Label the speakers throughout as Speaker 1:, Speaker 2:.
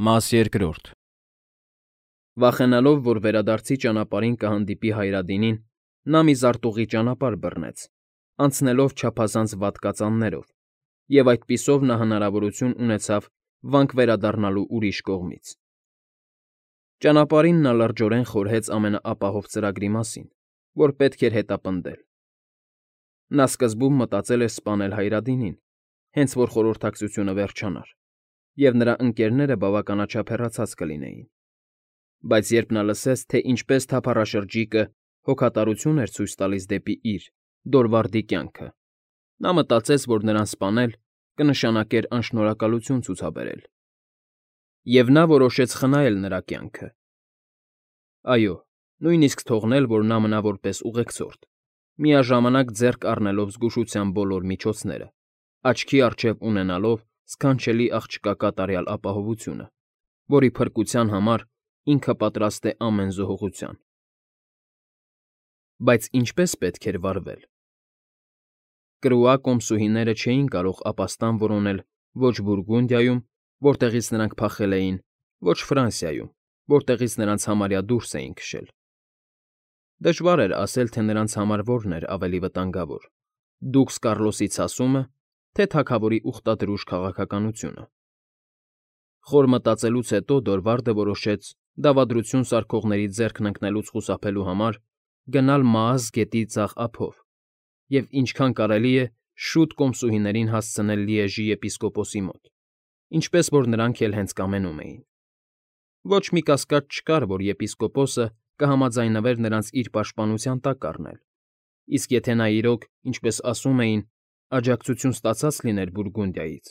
Speaker 1: Մաս երկրորդ Վախենալով, որ վերադարձի ճանապարհին կհանդիպի Հայրադինին, նա մի զարտուղի ճանապարհ բռնեց, անցնելով չափազանց վատ կածաններով, և այդպիսով նա հնարավորություն ունեցավ վանք վերադառնալու ուրիշ կողմից։ Ճանապարհին նա լրջորեն խորհեց ամենաապահով ծրագրի մասին, որ պետք էր հետապնդել։ Նա սկզբում մտածել էր սպանել Հայրադինին, հենց որ խորհրդակցությունը վերջանար, և նրա ընկերները բավականաչափ հեռացած կլինեին։ Բայց երբ նա լսեց, թե ինչպես թափառաշրջիկը հոգատարություն էր ցույց տալիս դեպի իր՝ Դորվարդի կյանքը, նա մտածեց, որ նրան սպանել կնշանակեր անշնորհակալություն ցուցաբերել։ Եվ նա որոշեց խնայել նրա կյանքը։ Այո, նույնիսկ թողնել, որ նա մնա որպես ուղեկցորդ, միաժամանակ ձեռք առնելով զգուշության բոլոր միջոցները, աչքի առջև ունենալով սքանչելի աղջկա կատարյալ ապահովությունը, որի փրկության համար ինքը պատրաստ է ամեն զոհողության։ Բայց ինչպե՞ս պետք էր վարվել։ Կրուա կոմսուհիները չէին կարող ապաստան որոնել ոչ Բուրգունդիայում, որտեղից նրանք փախել էին, ոչ Ֆրանսիայում, որտեղից նրանց համարյա դուրս էին քշել։ Դժվար էր ասել, թե նրանց համար որն էր ավելի վտանգավոր՝ դուքս Կառլոսի ցասումը, թե թագավորի ուխտադրուժ քաղաքականությունը։ Խոր մտածելուց հետո Դորվարդը որոշեց, դավադրություն սարքողների ձեռքն ընկնելուց խուսափելու համար, գնալ Մաազ գետի ձախ ափով և ինչքան կարելի է շուտ կոմսուհիներին հասցնել Լիեժի եպիսկոպոսի մոտ, ինչպես որ նրանք էլ հենց կամենում էին։ Ոչ մի կասկած չկար, որ եպիսկոպոսը կհամաձայնվեր նրանց իր պաշտպանության տակ առնել, իսկ եթե նա իրոք, ինչպես ասում էին, աջակցություն ստացած լիներ Բուրգունդիայից,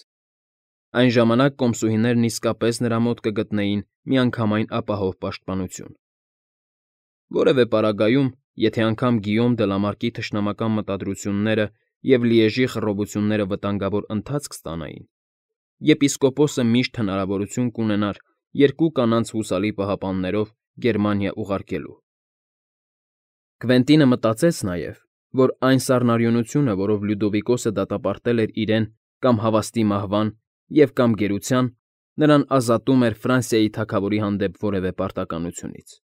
Speaker 1: այն ժամանակ կոմսուհիներն իսկապես նրա մոտ կգտնեին միանգամայն ապահով պաշտպանություն։ Որևէ պարագայում, եթե անգամ Գիյոմ դը Լամարկի թշնամական մտադրությունները և Լիեժի խռովությունները վտանգավոր ընթացք ստանային, եպիսկոպոսը միշտ հնարավորություն կունենար երկու կանանց հուսալի պահապաններով Գերմանիա ուղարկելու։ Քվենտինը մտածեց նաև, որ այն սառնարյունությունը, որով Լյուդովիկոսը դատապարտել էր իրեն կամ հավաստի մահվան և կամ գերության, նրան ազատում էր Ֆրանսիայի թագավորի հանդեպ որևէ պարտականությունից։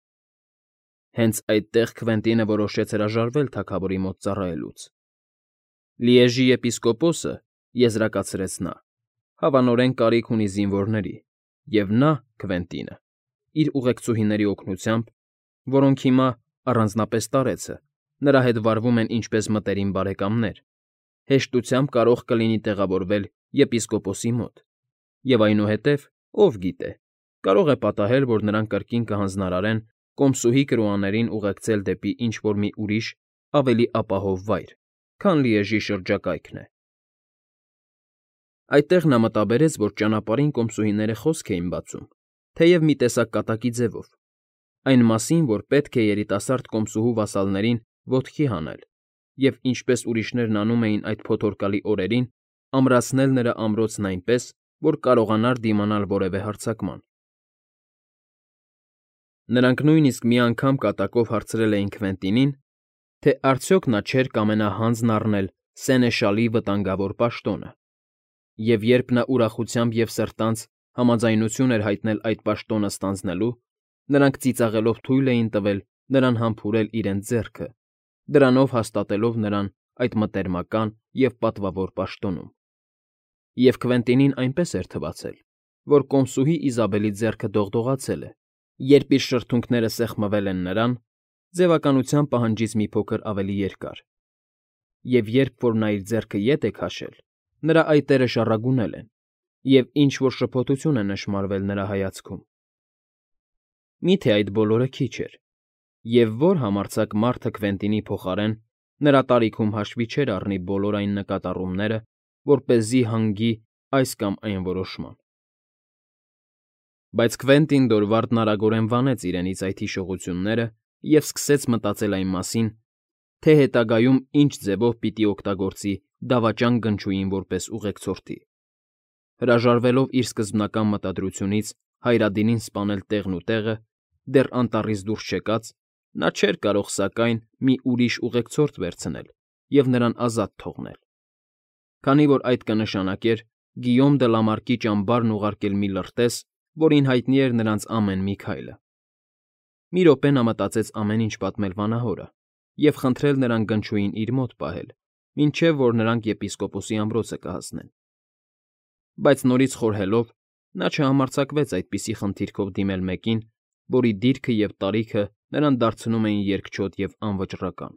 Speaker 1: Հենց այդտեղ Քվենտինը որոշեց հրաժարվել թագավորի մոտ ծառայելուց։ Լիեժի եպիսկոպոսը, եզրակացրեց նա, հավանորեն կարիք ունի զինվորների, և նա՝ Քվենտինը, իր ուղեկցուհիների օգնությամբ, որոնք հիմա, առանձնապես տարեցը, նրա հետ վարվում են ինչպես մտերիմ բարեկամներ, հեշտությամբ կարող կլինի տեղավորվել եպիսկոպոսի մոտ, և այնուհետև, ով գիտե, կարող է պատահել, որ նրան կրկին կհանձնարարեն կոմսուհի կրուաներին ուղեկցել դեպի ինչ֊որ մի ուրիշ, ավելի ապահով վայր, քան Լիեժի շրջակայքն է։ Այդտեղ նա մտաբերեց, որ ճանապարհին կոմսուհիները խոսք էին բացում, թեև մի տեսակ կատակի ձևով, այն մասին, որ պետք է երիտասարդ կոմսուհու վասալներին ոտքի հանել և, ինչպես ուրիշներն անում էին այդ փոթորկալի օրերին, ամրացնել նրա ամրոցն այնպես, որ կարողանար դիմանալ որևէ հարձակման։ Նրանք նույնիսկ մի անգամ կատակով հարցրել էին Քվենտինին, թե արդյոք նա չէր կամենա հանձն առնել Սենեշալի վտանգավոր պաշտոնը, և երբ նա ուրախությամբ և սրտանց համաձայնություն էր հայտնել այդ պաշտոնը ստանձնելու, նրանք ծիծաղելով թույլ էին տվել նրան համբուրել իրենց ձեռքը, դրանով հաստատելով նրան այդ մտերմական և պատվավոր պաշտոնում։ Եվ Քվենտինին այնպես էր թվացել, որ կոմսուհի Իզաբելի ձեռքը դողդողացել է, երբ իր շրթունքները սեղմվել են նրան, ձևականության պահանջից մի փոքր ավելի երկար, և երբ որ նա իր ձեռքը ետ է քաշել, նրա այտերը շառագունել են, և ինչ֊որ շփոթություն է նշմարվել նրա հայացքում։ Միթե այդ բոլորը քիչ էր, և ո՞ր համարձակ մարդը Քվենտինի փոխարեն նրա տարիքում հաշվի չէր առնի բոլոր այն նկատառումները, որպեսզի հանգի այս կամ այն որոշման։ Բայց Քվենտին Դորվարդն արագորեն վանեց իրենից այդ հիշողությունները և սկսեց մտածել այն մասին, թե հետագայում ինչ ձևով պիտի օգտագործի դավաճան Գնչուին որպես ուղեկցորդի։ Հրաժարվելով իր սկզբնական մտադրությունից Հայրադինին սպանել տեղն ու տեղը, դեռ անտառից դուրս չեկած, նա չէր կարող, սակայն, մի ուրիշ ուղեկցորդ վերցնել և նրան ազատ թողնել, քանի որ այդ կնշանակեր Գիյոմ դը Լամարկի ճամբարն ուղարկել մի լրտես, որին հայտնի էր նրանց ամեն մի քայլը։ Մի րոպե նա մտածեց ամեն ինչ պատմել վանահորը և խնդրել նրան գնչուին իր մոտ պահել, մինչև որ նրանք եպիսկոպոսի ամրոցը կհասնեն։ Բայց նորից խորհելով, նա չհամարձակվեց այդպիսի խնդիրքով դիմել մեկին, որի դիրքը և տարիքը նրան դարձնում էին երկչոտ և անվճռական,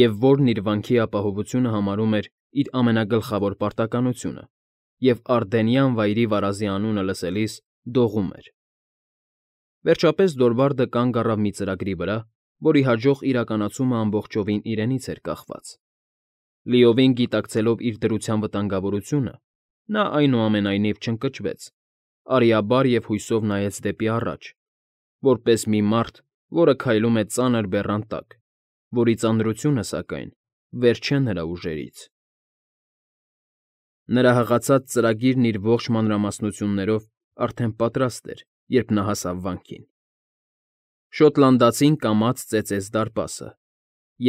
Speaker 1: և որն իր վանքի ապահովությունը համարում էր իր ամենագլխավոր պարտականությունը և Արդենյան վայրի վարազի անունը լսելիս դողում էր։ Վերջապես Դորվարդը կանգ առավ մի ծրագրի վրա, որի հաջող իրականացումը ամբողջովին իրենից էր կախված։ Լիովին գիտակցելով իր դրության վտանգավորությունը, նա այնուամենայնիվ չընկճվեց, արիաբար և հույսով նայեց դեպի առաջ, որպես մի մարդ, որը քայլում է ծանր բեռան տակ, որի ծանրությունը, սակայն, վեր չէ նրա ուժերից։ Նրա հղացած ծրագիրն իր ողջ մանրամասնություններով արդեն պատրաստ էր, երբ նա հասավ վանքին։ Շոտլանդացին կամաց ծեծեց դարպասը,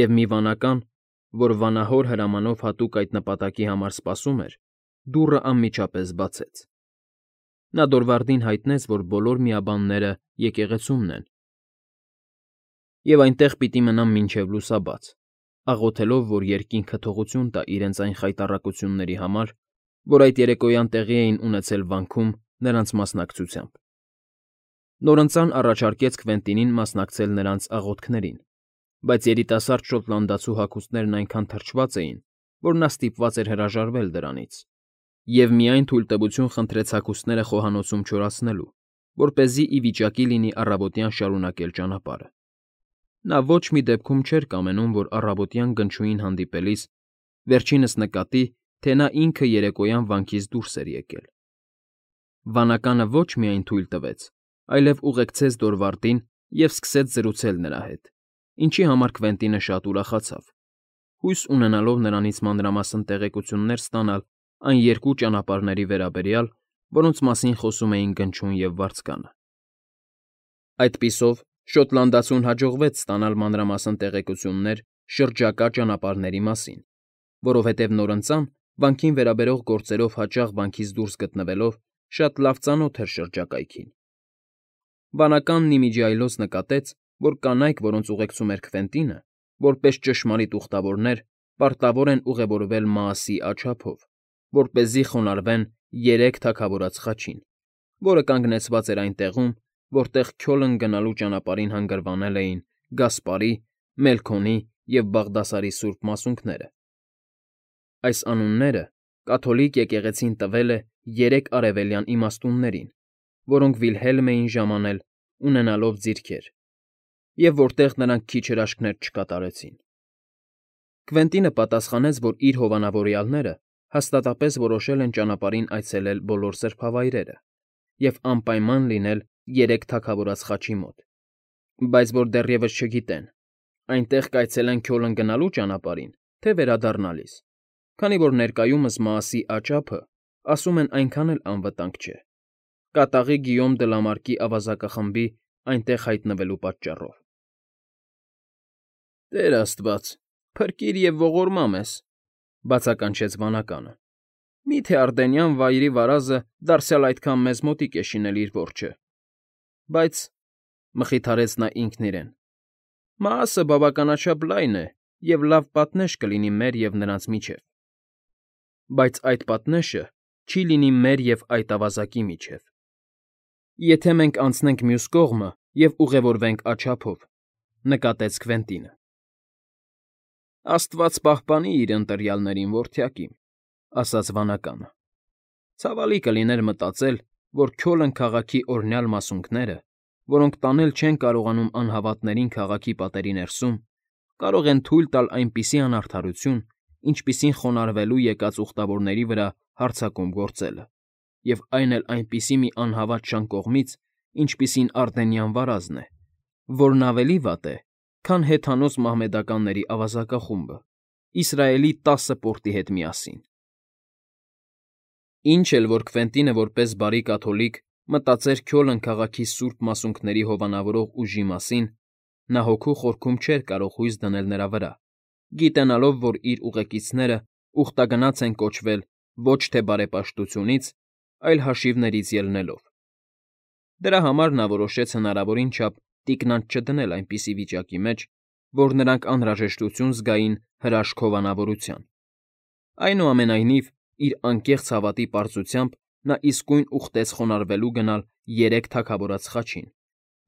Speaker 1: և մի վանական, որ վանահոր հրամանով հատուկ այդ նպատակի համար սպասում էր, դուռը անմիջապես բացեց։ Նա Դորվարդին հայտնեց, որ բոլոր միաբանները եկեղեցումն են, և այնտեղ պիտի մնան մինչև լուսաբաց, աղոթելով, որ երկինքը թողություն տա իրենց այն խայտառակությունների համար, որ այդ երեկոյան տեղի էին ունեցել վանքում նրանց մասնակցությամբ։ Նորընծան առաջարկեց Քվենտինին մասնակցել նրանց աղոթքներին, բայց երիտասարդ շոտլանդացու հագուստներն այնքան թրջված էին, որ նա ստիպված էր հրաժարվել դրանից, և միայն թույլտվություն խնդրեց հագուստները խոհանոցում չորացնելու, որպեսզի ի վիճակի լինի առավոտյան շարունակել ճանապարհը։ Նա ոչ մի դեպքում չէր կամենում, որ առավոտյան գնչուին հանդիպելիս վերջինս նկատի, թե նա ինքը երեկոյան վանքից դուրս էր եկել։ Վանականը ոչ միայն թույլ տվեց, այլև ուղեկցեց Դորվարդին և սկսեց զրուցել նրա հետ, ինչի համար Քվենտինը շատ ուրախացավ, հույս ունենալով նրանից մանրամասն տեղեկություններ ստանալ այն երկու ճանապարհների վերաբերյալ, որոնց մասին խոսում էին Գնչուն և Վարձկանը։ Այդպիսով շոտլանդացուն հաջողվեց ստանալ մանրամասն տեղեկություններ շրջակա ճանապարհների մասին, որովհետև նորընծան վանքին վերաբերող գործերով հաճախ վանքից դուրս գտնվելով շատ լավ ծանոթ էր շրջակայքին։ Վանականն ի միջի այլոց նկատեց, որ կանայք, որոնց ուղեկցում էր Քվենտինը, որպես ճշմարիտ ուխտավորներ, պարտավոր են ուղևորվել Մաասի աչափով, որպեսզի խոնարհվեն երեք թագավորած խաչին, որը կանգնեցված էր այն տեղում, որտեղ Քյոլն գնալու ճանապարհին հանգրվանել էին Գասպարի, Մելքոնի և Բաղդասարի սուրբ մասունքները։ Այս անունները կաթոլիկ եկեղեցին տվել է երեք արևելյան իմաստուններին, որոնք Վիլհելմ էին ժամանել, ունենալով ձիրքեր, և որտեղ նրանք քիչ հրաշքներ չկատարեցին։ Քվենտինը պատասխանեց, որ իր հովանավորյալները հաստատապես որոշել են ճանապարհին այցելել բոլոր սրբավայրերը և անպայման լինել երեք թագավորած խաչի մոտ, բայց որ դեռևս չգիտեն՝ այնտեղ կայցելեն Քյոլն գնալու ճանապարհին, թե վերադառնալիս, քանի որ ներկայումս Մաասի աճափը, ասում են, այնքան էլ անվտանգ չէ, կատաղի Գիյոմ դը Լամարկի ավազակախմբի այնտեղ հայտնվելու պատճառով։ «Տեր աստված, փրկիր և ողորմա մեզ,֊ բացականչեց վանականը։ Մի՞թե Արդենյան վայրի վարազը դարձյալ այդքան մեզ մոտիկ է շինել իր որջը։ Բայց,֊ մխիթարեց նա ինքն իրեն,֊ Մաասը բավականաչափ լայն է և լավ պատնեշ կլինի մեր և նրանց միջև։ Բայց այդ պատնեշը չի լինի մեր և այդ ավազակի միջև։ Եթե մենք անցնենք մյուս կողմը և ուղևորվենք աջափով,֊ նկատեց Քվենտինը։ Աստված պահպանի իր ընտրյալներին, որդյակիմ,֊ ասաց վանականը։ Ցավալի կլիներ մտածել, որ Քյոլն քաղաքի օրհնյալ մասունքները, որոնք տանել չեն կարողանում անհավատներին քաղաքի պատերի ներսում, կարող են թույլ տալ այնպիսի անարդարություն, ինչպիսին խոնարհվելու եկած ուխտավորների վրա հարձակում գործելը, և այն էլ այնպիսի մի անհավատ շան կողմից, ինչպիսին Արդենյան վարազն է, որն ավելի վատ է, քան հեթանոս մահմեդականների ավազակախումբը, Իսրայելի 10 պորտի հետ միասին։ Ինչ էլ որ Քվենտինը որպես բարի կաթոլիկ մտածեր Քյոլն քաղաքի սուրբ մասունքների հովանավորող ուժի մասին, նա հոգու խորքում չէր կարող հույս դնել նրա վրա, գիտենալով, որ իր ուղեկիցները ուխտագնաց են կոչվել ոչ թե բարեպաշտությունից, այլ հաշիվներից ելնելով։ Դրա համար նա որոշեց հնարավորին չափ տիկնանց չդնել այնպիսի վիճակի մեջ, որ նրանք անհրաժեշտություն զգային հրաշք հովանավորության։ Այնուամենայնիվ, իր անկեղծ հավատի պարզությամբ նա իսկույն ուխտեց խոնարհվելու գնալ 3 թագավորած խաչին,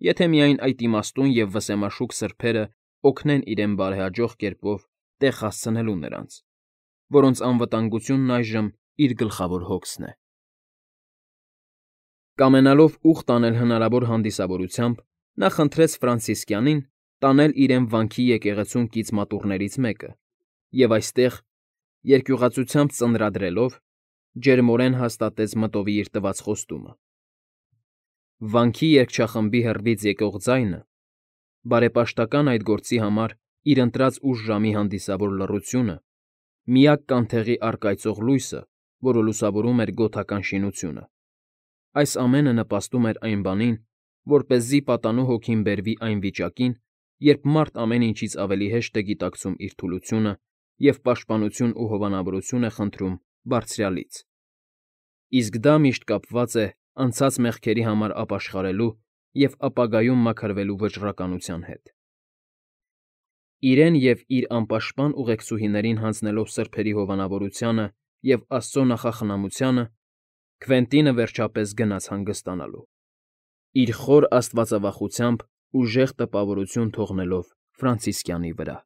Speaker 1: եթե միայն այդ իմաստուն և վսեմաշուկ սրբերը օգնեն իրեն բարեհաջող կերպով տեղ հասցնելու նրանց, որոնց անվտանգությունն այժմ իր գլխավոր հոգսն է։ Կամենալով ուխտ անել հնարավոր հանդիսավորությամբ, նա խնդրեց Ֆրանցիսկյանին տանել իրեն վանքի եկեղեցուն կից մատուռներից մեկը և այստեղ, երկյուղածությամբ ծնրադրելով, ջերմորեն հաստատեց մտովի իր տված խոստումը։ Վանքի երգչախմբի հեռվից եկող ձայնը, բարեպաշտական այդ գործի համար իր ընտրած ուշ ժամի հանդիսավոր լռությունը, միակ կանթեղի առկայծող լույսը, որը լուսավորում էր գոթական շինությունը, այս ամենը նպաստում էր այն բանին, որպեսզի պատանու հոգին բերվի այն վիճակին, երբ մարդ ամեն ինչից ավելի հեշտ է գիտակցում իր թուլությունը և պաշտպանություն ու հովանավորություն է խնդրում Բարձրյալից, իսկ դա միշտ կապված է անցած մեղքերի համար ապաշխարելու և ապագայում մաքրվելու վճռականության հետ։ Իրեն և իր անպաշտպան ուղեկցուհիներին հանձնելով սրբերի հովանավորությանը և Աստծո նախախնամությանը, Քվենտինը վերջապես գնաց հանգստանալու, իր խոր աստվածավախությամբ ուժեղ տպավորություն թողնելով Ֆրանցիսկյանի վրա։